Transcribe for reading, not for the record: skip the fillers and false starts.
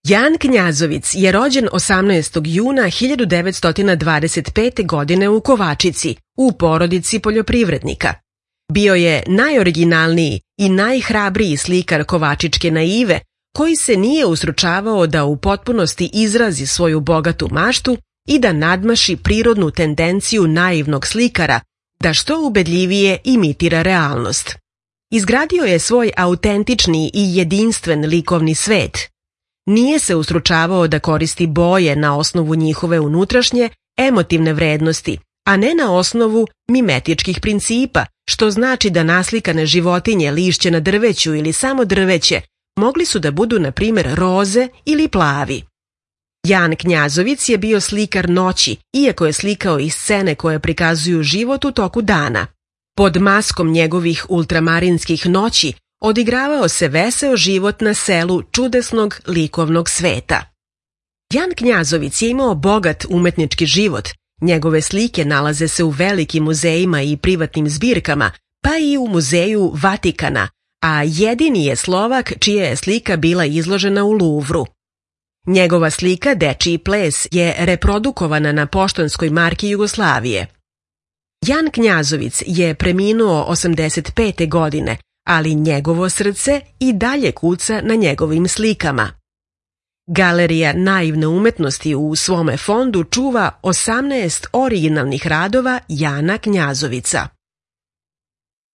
Jan Knjazovic je rođen 18. juna 1925. godine u Kovačici, u porodici poljoprivrednika. Bio je najoriginalniji i najhrabriji slikar kovačičke naive, koji se nije usručavao da u potpunosti izrazi svoju bogatu maštu i da nadmaši prirodnu tendenciju naivnog slikara, da što ubedljivije imitira realnost. Izgradio je svoj autentični i jedinstven likovni svet. Nije se usručavao da koristi boje na osnovu njihove unutrašnje, emotivne vrednosti, a ne na osnovu mimetičkih principa, što znači da naslikane životinje, lišće na drveću ili samo drveće mogli su da budu, na primjer, roze ili plavi. Jan Knjazovic je bio slikar noći, iako je slikao i scene koje prikazuju život u toku dana. Pod maskom njegovih ultramarinskih noći odigravao se veseo život na selu čudesnog likovnog sveta. Jan Knjazovic je imao bogat umetnički život. Njegove slike nalaze se u velikim muzejima i privatnim zbirkama, pa i u muzeju Vatikana, a jedini je Slovak čija je slika bila izložena u Luvru. Njegova slika Dečiji ples je reprodukovana na poštanskoj marki Jugoslavije. Jan Knjazovic je preminuo 85. godine, ali njegovo srce i dalje kuca na njegovim slikama. Galerija naivne umetnosti u svome fondu čuva 18 originalnih radova Jana Knjazovica.